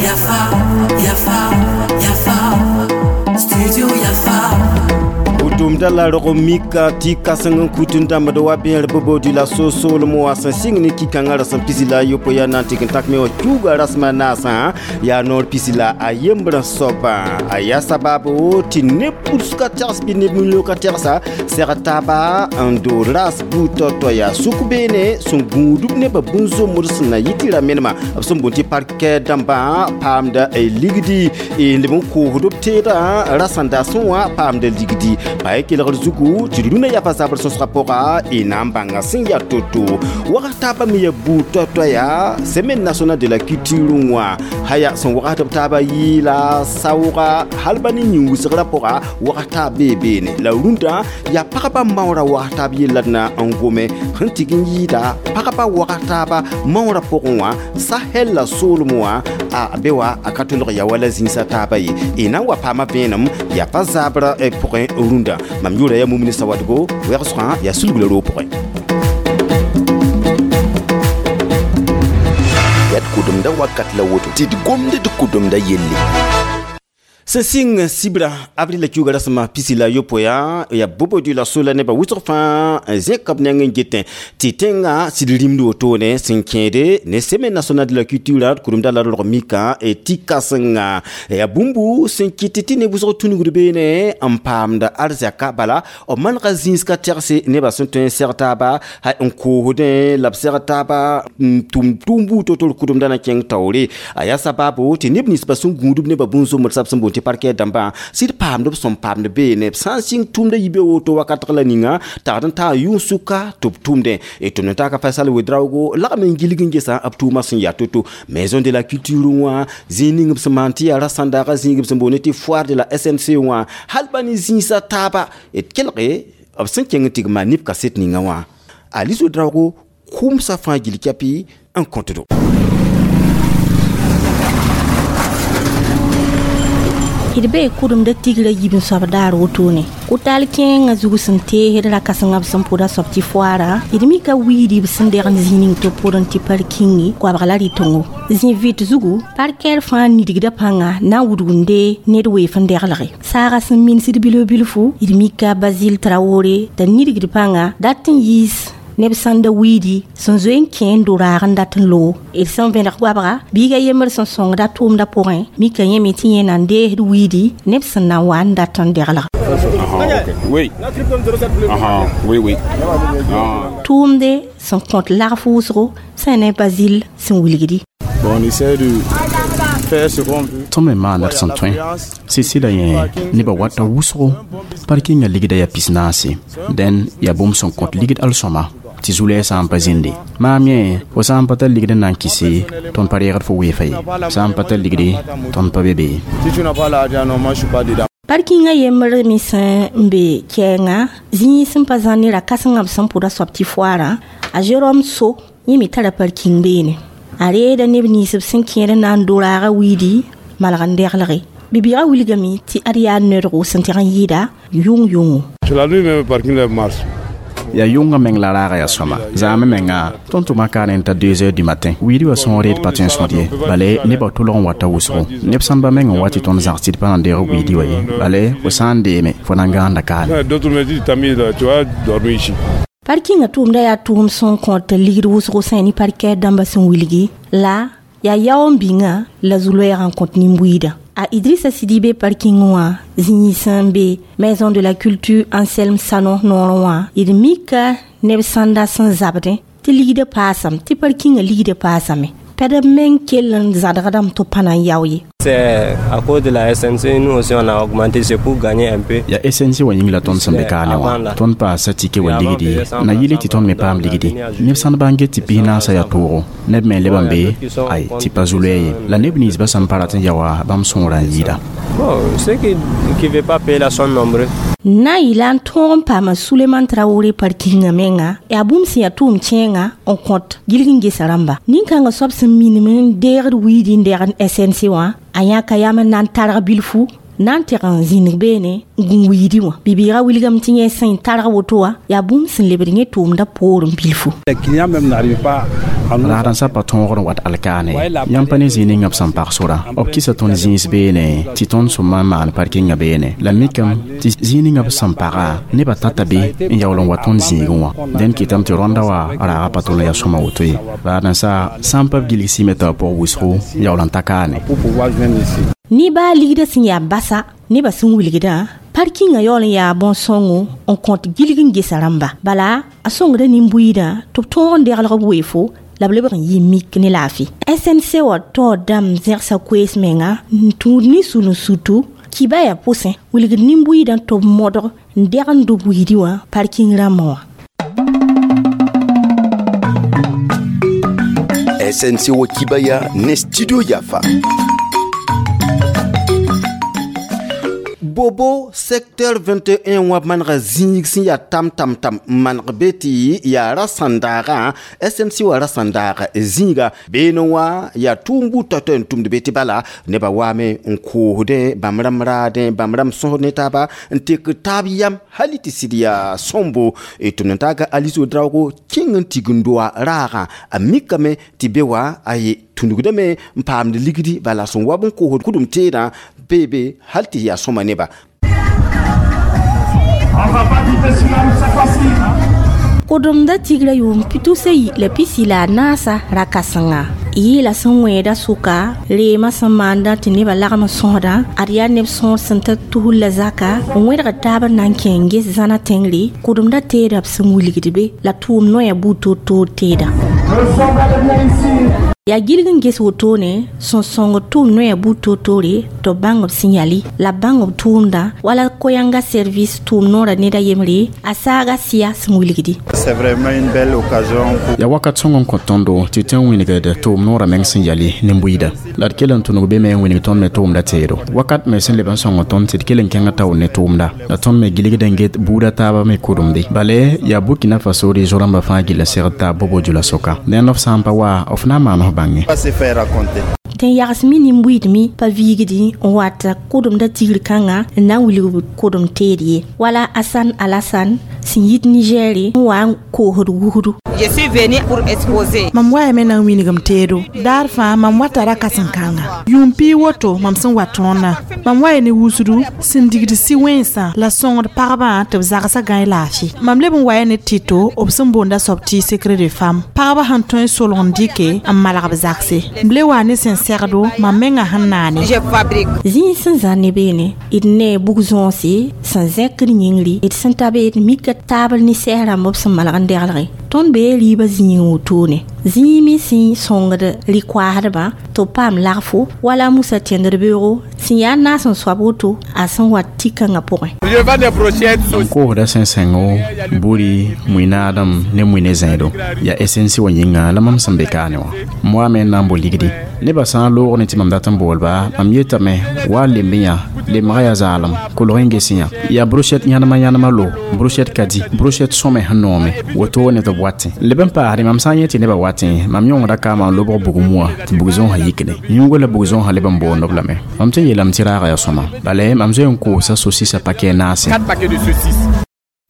Yafa, Yafa, Yafa, Studio Yafa. Tʋʋmda la rog mika tɩ kãseng n kut n dãmbd wa bẽer bobodi la so-soolem wã sẽn sɩng ne ki-kãngã rasem 18 yaa na n tɩg n tak me wã tuuga rasmã naasã yaa noor 11 soabã a yaa sabaabo tɩ neb puds ka tɛgs bɩ neb milio ka tɛgsa sɛg taaba n dood raas buud tao-tao yaa sʋk beene sẽn gũudb nebã bũn-zombd sẽn na yɩ tɩ ra menema b sẽn boond tɩ parkɛ dãmbã paamda ligdi n leb n koosd b teedã rasẽnda sẽn wã paamda ligdi pa kelgr zugu tɩ rũnã yafa zabr sõsgã pʋga y na n bãnga sẽn yaa to-to wags taabã me yaa buud toay-toaya yaa semaine nationale de la culture wã haya sẽn wagsd b taabã yɩɩla saooga hal ba ne yĩn-wʋsgrã pʋga wags taab bee beene la rũndã yaa pagba maoorã wags taab yella d na n gome sẽn tɩg n yɩɩda pagba wags taaba maoorã pʋgẽ wã Sahel la soolem wã a be wa a ka tolg ya wala zĩnsã taaba ye y na n wa paama vẽenem yaa pa zabrã pʋgẽ rũndã mam yʋʋra yaa Mumini Sawadgo wɛgsgã yaa sulg la roog pʋgẽ yaa d kʋdemda wakat la woto tɩ d gomd d kʋdemda yelle. Sẽn sɩng sibra avril la kiuga rasmã 18 yaa bobodi la sola nebã wʋsg fãa zẽka b neng n getẽ tɩ tẽngã sɩd rĩmd wotone sẽn kẽede ne semaine nationale de la culture kʋremda la rog mika tɩ kãsenga yaa bũmbu sẽn kɩt tɩ neb wʋsg tũnugd beene n paamda arzɛka bala b manega zĩis ka tɛgse nebã sẽn tõe n sɛg taaba n koosdẽ la b sɛg taaba n tʋm tʋʋm buud to-to d kʋdemda na kẽng taoore a yaa sabaabo tɩ neb ninsbã sẽn gũudb nebã bũn-zombd sab sẽn boond tɩ parkɛ dãmbã sɩd paamd b sẽn paamd beene b sã n sɩng tʋʋmda yibe woto wakatg la ninga tagd n taa yʋng-sʋka tɩ b tʋmdẽ d tʋmd n taaka Faisal Ouedraogo lagm n gilg n gesa b tʋʋmã sẽn yaa to-to maison de la culture wã zĩig ning b sẽn maan tɩ yaa rasãndaaga zĩig b sẽn boond tɩ foire de la SNC wã hal pa ne zĩisã taaba d kelge b sẽn kẽng n tɩg maan neb kaset ninga wã Alice Ouedraogo kʋmsã fãa gill kɛpɩ n kõtdo. D bee kʋdemda tigrã yib n soab daar wotone kʋtal kẽengã zug sẽn teesd ra kãsengã b sẽn pʋda soab tɩ foaara d mika wiidi b sẽn deg n zĩ ning tɩ pʋdẽ tɩ parkingi koabg la rɩ-tõngo zĩ vɩt zugu parkɛr fãa nidgda pãnga na n wudgunde ned weef n deglge saaga sẽn minsd bilf-bilfu d mika Basile Traoré t'a nidgd pãnga dat n yiis neb sãn da wiidi sẽn zoe n kẽ n do raag n dat n loog d sẽn vẽneg goabga biiga yembr sẽn sõngda tʋʋmda pʋgẽ mika yẽme tɩ yẽ na n deesd wiidi neb sẽn na n wa n dat n deglg. Oui. Oui, oui. Tʋʋmde sẽn kõt lagf wʋsgo sẽn ne Basile sẽn wilgdi. Bon, on essaie de faire ce qu'on peut. Tõnd me maanda d sẽn tõe sɩsɩ la yẽ nebã wata wʋsgo parkinga ligda yaa 40 dẽn yaa bũmb sẽn kõt ligd al-sõma tɩ zu-lɛɛg sã n pa zĩnde maam yẽ fo sã n pa tar ligd n na n kɩse tõnd pa reegd fo weefa ye sã n pa tar ligde tõnd pa be be ye. Si tu n'as pas l'argent, non, moi je suis pas dedans. Parkinga yembr me sẽn n be kɛɛngã zĩig sẽn pa zãn ne ra kãsengã b sẽn pʋda soab tɩ foaarã a Jérôme So yẽ me tara parking beene a reeda neb nins b sẽn kẽed n na n do raagã wiidi malg n deglge bibiigã wilgame tɩ ad yaa noodgo sẽn tɩg n yɩɩda yʋng-yʋngo. C'est la nuit même parking là marche. Yaa yʋngã meng la raaga yaa sõma zaamẽ menga tõnd tʋma kaane n ta 2 heures du matin wiidi wã sõor d pa tõe n sõd ye bale nebã tʋlg n wata wʋsgo neb sãn ba meng n wa tɩ tõnd zãgs tɩ d pa na n deeg wiidi wã ye bale fo sã n deeme fo na n gãanda kaane. D'autres me disent Tamir, tu vas dormir ici. Parkinga tʋʋmda yaa tʋʋm sẽn kõt ligd wʋsgo sẽn ne parkɛr dãmbã sẽn wilgi la yaa yao n bĩnga la zu-loɛɛgã n kõt nin-buiidã. A Idrissa Sidibé parking wã zĩig sẽn be maison de la culture Anselme Sanon noorẽ wã d mika neb sãnda sẽn zabdẽ tɩ ligdã paasame tɩ parkingã ligdã paasame pɛd b meng kell n zãdgdame tɩ b pa na n yao ye. C'est à cause de la SNC, nous aussi on a augmenté, c'est pour gagner un peu. Ya SNC wa yĩng la tõnd sẽn be kaane wã tõnd paasa tike wa ligdi na yɩle tɩ tõnd me paam ligdi neb sãn bã n get tɩ 40 yaa toogo neb me leb n be ay tɩ pa zu-loɛɛ ye la neb ninsbã sẽn pa rat n ya wã bãmb sõora n yɩɩda. Bon, ceux qui ne veulent pas payer là sont nombreux. Na n yɩla n tõog n paama Suleman Traoré parkinga menga yaa bũmb sẽn yaa tʋʋm kẽenga n kõt gilg n gesa rãmba nin-kãngã soab sẽn minim n deegd wiidi n degd SNC wã a yãka yam n na n targ bilfu Na n teg n zĩnig beene n gũ wiidi wã bibiigã wilgame tɩ yẽ sẽn targ woto wã yaa bũmb sẽn lebd yẽ tʋʋmdã poorẽ bilfu. Les clients même n'arrivent pas à nous. Raadãnsã pa tõogr n wat alkaane yãmb pa ne zĩig ninga b sẽn pag sora b kɩsa tõnd zĩis beene tɩ tõnd sõma n maan parkingã beene la mikame tɩ zĩig ninga b sẽn paga nebã tata be n yaool n wa tõnd zĩigẽ wã dẽn kɩtame tɩ rõanda wa raaga pa tol n yaa sõma woto ye raadãnsã sã n pa b gilg sɩme t'a pʋg wʋsgo n yaool n ta kaane. Pour pouvoir joindre ici. Ne baa ligdã sẽn yaa basa nebã sẽn wilgdã parkingã yaool n yaa bõn-sõngo n kõt gilg n gesa rãmba bala a sõngda nin-buiidã tɩ b tõog n deglg b weefo la b lebg n yɩ mik ne laafɩ. SNC wã taoor dãmb zẽgsa koees menga n tũud ne sul-n-sutu kiba yaa pʋsẽ wilgd nin-buiidã tɩ b modg n deg n dʋ buiidi wã parking rãmbã wã. SNC wa kibaya ne studio Yafa. Bobo secteur 21 wã manega zĩig sẽn yaa tam tam tam n maneg be tɩ yaa ra sãndaaga SNC wã ra sãndaaga zĩiga beene wã yaa tʋʋm buud toay-toay n tʋmd be tɩ bala nebã waame n koosdẽ bãmb rãmb raadẽ bãmb rãmb sõsd ne taaba n tek taab yam hali tɩ sɩd yaa sõmbo tʋmd n taaga Alice Ouedraogo kẽng n tigimdoa raagã a mikame tɩ be wa aye tũnugdame n paamd ligdi bala sẽn wab n koosd kʋdem teedã beebe hal tɩ yaa sõma neba. Kʋdemda tigrã yʋʋm tusa yi la pisi la a naasa ra-kãsenga yɩɩla sẽn wẽeda sʋka reemã sẽn maanda tɩ nebã lagm n sõsdã ad yaa neb sõor sẽn ta tusr la zaka n wẽdg taab n na n kẽ n ges zãna tẽngre kʋdemda teeda b sẽn wilgd be la tʋʋm noya buud toor-toor teeda. Yaa gilg n ges wotone sẽn sõngd tʋʋm noya buud toor-toore tɩ b bãng b sẽn yali la b bãng b tʋʋmdã wala koyãnga service tʋʋm noorã ned a yembre a saaga sɩya sẽn wilgdi. C'est vraiment une belle occasion pour yaa wakat sõng n kõ tõndo tɩ tɩ n wilgd tʋʋm noorã meng sẽn yali nin-buiida la d kell n tũnug be me n wilg tõnd me tʋʋmda teedo wakat me sẽn leb n sõng tõnd tɩ d kell n kẽngã taoor ne tʋʋmda la tõnd me gilgd n get buudã taabã me kʋdemde bale yaa Burkina Faso de zo-rãmbã fãa gill n segd taab Bobo Dioulasso-ka dẽnd f sã n pa wa f na n maan f bãnge. Pas se faire raconter. Tɩ n yags mi nin-buiidme pa viigdi n wat kʋdemda tigr kãngã n na n wilg kʋdem teed ye wala Asan Alasan sẽn yit Nigɛɛre n wa n koosd wusdu. Je suis venue pour exposer. Mam waame na n wilgem teedo daar fãa mam wata ra kãsen-kãnga yʋʋm pii woto mam sẽn wa tõodã mam wa ne wusdu sẽn digd sɩ wẽnsã la sõngd pagbã tɩ b zagsã gãe laafɩ mam leb n waya ne tɩto b sẽn boonda soab tɩ secret de femme pagbã sẽn tõe n solg n dɩke n malg b zagse b le wa ne sẽn segdo mam mengã sẽn naane. Je fabrique. Zĩig sẽn zã ne beene d ne bug-zõose sẽn zẽkd yĩngri d sẽn ta be d mika taabl ne sɛs rãmb b sẽn malg n deglge tõnd bee rɩɩbã zĩig wotone zĩig me sẽn sõngd rɩ-koaasdbã tɩ b paam lagfo wala Musa tẽndr beoogo sẽn yaa naas n soab woto a sẽn wa tɩ-kãngã pʋgẽ. Je vends des brochettes. M koosda sẽn-sẽngo buri mui-naadem ne mui ne zẽedo yaa SNC wã yĩnga la mam sẽn be kaane wã m waame n na n bo ligdi nebã sã n loog ne tɩ mam dat n boolba mam yetame wa lemb yã lemga yaa zaalem kolg n ges yã yaa brochette yãnema yãnema lo brochette ka di brochette sõme sẽn noome wotone tɩ b watẽ leb n paasdẽ mam sã n yẽ tɩ nebã watẽ mam yõngda kaamã n lobg bugum wã tɩ bug-zõosã yikne yũugo la bug-zõosã leb n boond b lame mam tɩ yeelame tɩ raaga yaa sõma bala mam zoe n koosa sosisa pakɛ naase. 4 paquets de saucisses.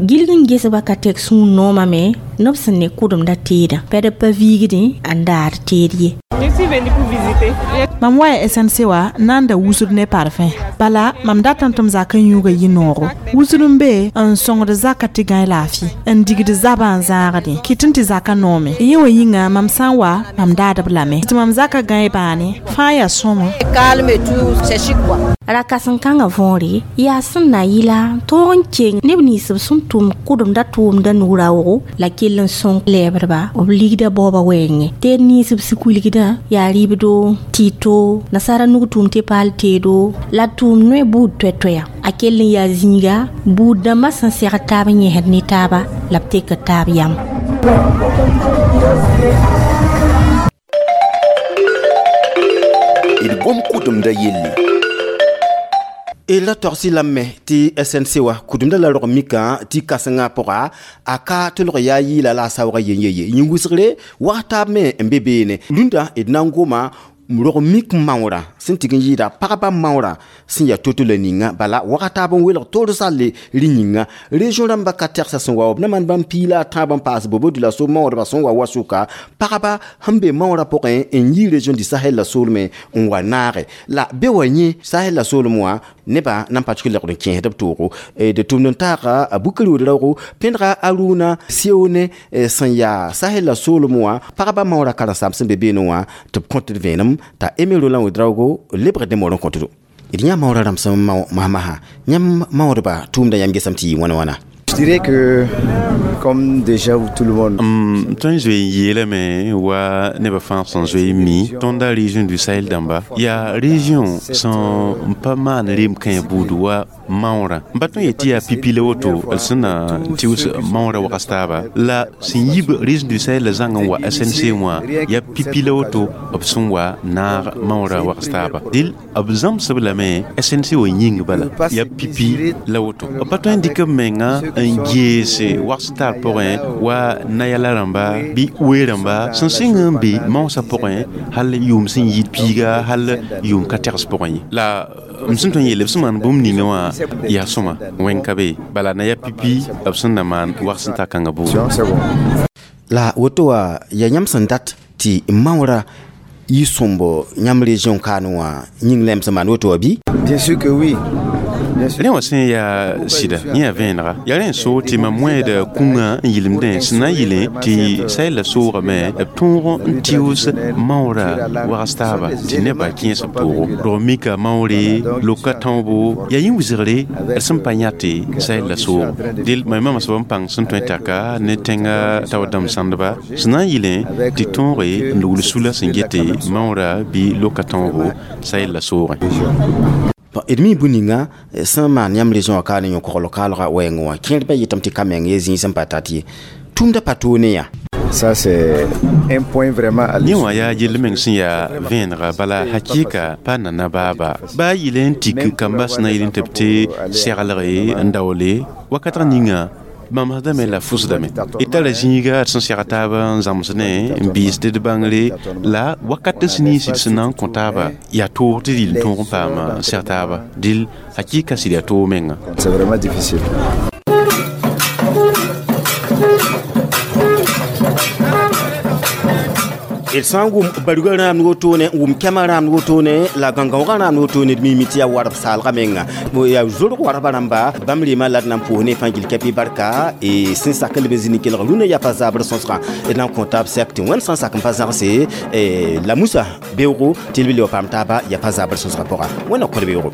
Gilg n gesba ka tɛk sũur noomã me neb sẽn ne kʋdemda teedã pɛd pa viigdẽ n daad teed ye. Je suis venue pour visiter. Mam wa SNC wa n na n da wusd ne parfum bala mam datame tɩ m zak n yũuga yɩ-noogo wusd n be n sõngd zaka tɩ gãe laafɩ n digd zabã n zãagdẽ kɩt n tɩ zaka noome yẽ wã yĩnga mam sã n wa mam daadb lame tɩ mam zaka gãe bãane fãa yaa sõma. Calme et tout, c'est chic quoi. Ra-kãsen-kãngã võore yaa sẽn na yɩla tõog n keng neb nins b sẽn tʋm kʋdemda tʋʋmda nu-raoogo la kell n sõng lɛɛbdba b ligda baooba wɛɛngẽ teed nins b sẽn kuilgdã yaa rɩɩbdo tɩto nasaara nug tʋʋm tɩ paal teedo la tʋʋm noe buud toɛ-toɛya a kell n yaa zĩiga buud dãmbã sẽn segd taab n yẽsd ne taaba la b tekd taab yam. D gom kʋdemda yelle. La togsɩ lame tɩ SNC wã kʋdemda la rog mikã tɩ kãsengã pʋga a ka tʋlg yaa yɩɩla la a saoogã yen-ye ye yĩn-wʋsgre wag taab me n be beene rũndã d na n goma Rog mik maoorã sẽn tɩg n yɩɩda pagba maoorã sẽn yaa to-to la ninga bala wakat taab n welg toor salle rẽ yĩnga région rãmbã ka tɛgsa sẽn wa b na maan bãmb piig la a tãab n paas bobo dioulasso maoodbã sẽn wa wa sʋka pagba sẽn be maoorã pʋgẽ n yi région du Sahel la soolmẽ n wa naage la be wa yẽ Sahel la soolem wã nebã nan pa tɩ lebg n kẽesd b toogo d tʋmd n taaga a Bukari Ouedraogo pẽdga Aruna Sione sẽn yaa Sahel la soolem wã pagba maoorã karen-saam sẽn be beene wã tɩ b kõt d vẽenem t'a Aimé Roland Ouedraogo lebg dẽmor n kõtdo d yã maoorã rãmb sẽn mao masmasã yãmb maoodba tʋʋmda yãmb gesame tɩ yɩ wãna wãna. Je dirais que, comme déjà tout le monde, Tõe n zoe n yeelame wa nebã fãa sẽn zoe n mi tõnda région du Sahel dãmba yaa région sẽn pa maan rem kãe buud wa maoorã n pa tõe n yet tɩ yaa pipi la woto d sẽn na tɩʋs maoorã wagas taaba la sẽn yib région du Sahel la zãng n wa SNC wã yaa pipi la woto b sẽn wa naag maoorã wagas taaba dɩl b zãmsb lame SNC wã yĩng bala yaa pipi la woto b pa tõe n dɩk b menga n geese wags tar pʋgẽ wa nayala rãmba bɩ oe rãmba sẽn sɩng n be maoosã pʋgẽ hal yʋʋm sẽn yɩɩd piiga hal yʋʋm ka tegs pʋgẽ ye la m sẽn tõe n yeele b sẽn maan bũmb ninga wã yaa sõma wẽn ka be bala na yaa pipi b sẽn na maan wags n ta kãngã buudu. La woto wã yaa yãmb sẽn dat tɩ maoorã yɩ sõmbo yãmb région kaane wã yĩng la yãmb sẽn maan woto wã bɩ? Bien sûr que oui. Rẽ wã sẽn yaa sɩda yẽ yaa vẽenega yaa rẽ n soog tɩ mam wẽed kũngã n yɩlemdẽ sẽn na n yɩlẽ tɩ Sahel la soogame b tõog n tɩʋs maoorã wags taaba tɩ nebã kẽes b toogo rog mika maoore loka tãoobo yaa yẽ wilgre d sẽn pa yãte Sahel la soogo dɩl mam mama soab n pãng sẽn tõe n taka ne tẽngã tao dãmb sãndba sẽn na n yɩlẽ tɩ tõoge n lugl sula sẽn gete maoorã bɩ loka tãoobo Sahel la soogẽ. D mi bũ ninga sẽn maan yãmb région wã kaane yõ-kogl kaalga wɛɛngẽ wã kẽer yetame tɩ ka meng ye zĩig sẽn pa tat ye tũumda pa toog ne yã. Ça, c'est un point vraiment à Yẽ wã yaa yell meng sẽn yaa vẽenega bala hakɩɩka pa nana baaba baa yɩl n tik kamba sẽn na yɩl n tɩ b tɩ seglge n daoole wakatg ninga mamsdame la fusdame d tara zĩiga d sẽn seg taab n zãmsdẽ n biisd d bãngre la wakat sẽn nins d sẽn na n kõ taaba yaa toog tɩ d yɩl tõog n paam n seg taaba dɩl hakɩɩka sɩd yaa toog menga. C'est vraiment difficile. D sã n wʋm bargã rãamd wotone n wʋm kɛmã rãamd wotone la gãngãoogã rãamd wotone d mimi tɩ yaa warb saalga menga yaa zorg warbã rãmba bãmb rema la d na n pʋʋs ne fãa gil kɛpɩ barka sẽn sak n leb n zĩni kelg rũnã yaa pa zabr sõsgã d na n kõ taab sɛk tɩ wẽnd sã n sak n pa zãgse la musa beoogo tɩ b le wa paam taaba yaa pa zabr sõsgã pʋga wẽnna kõ d beoogo.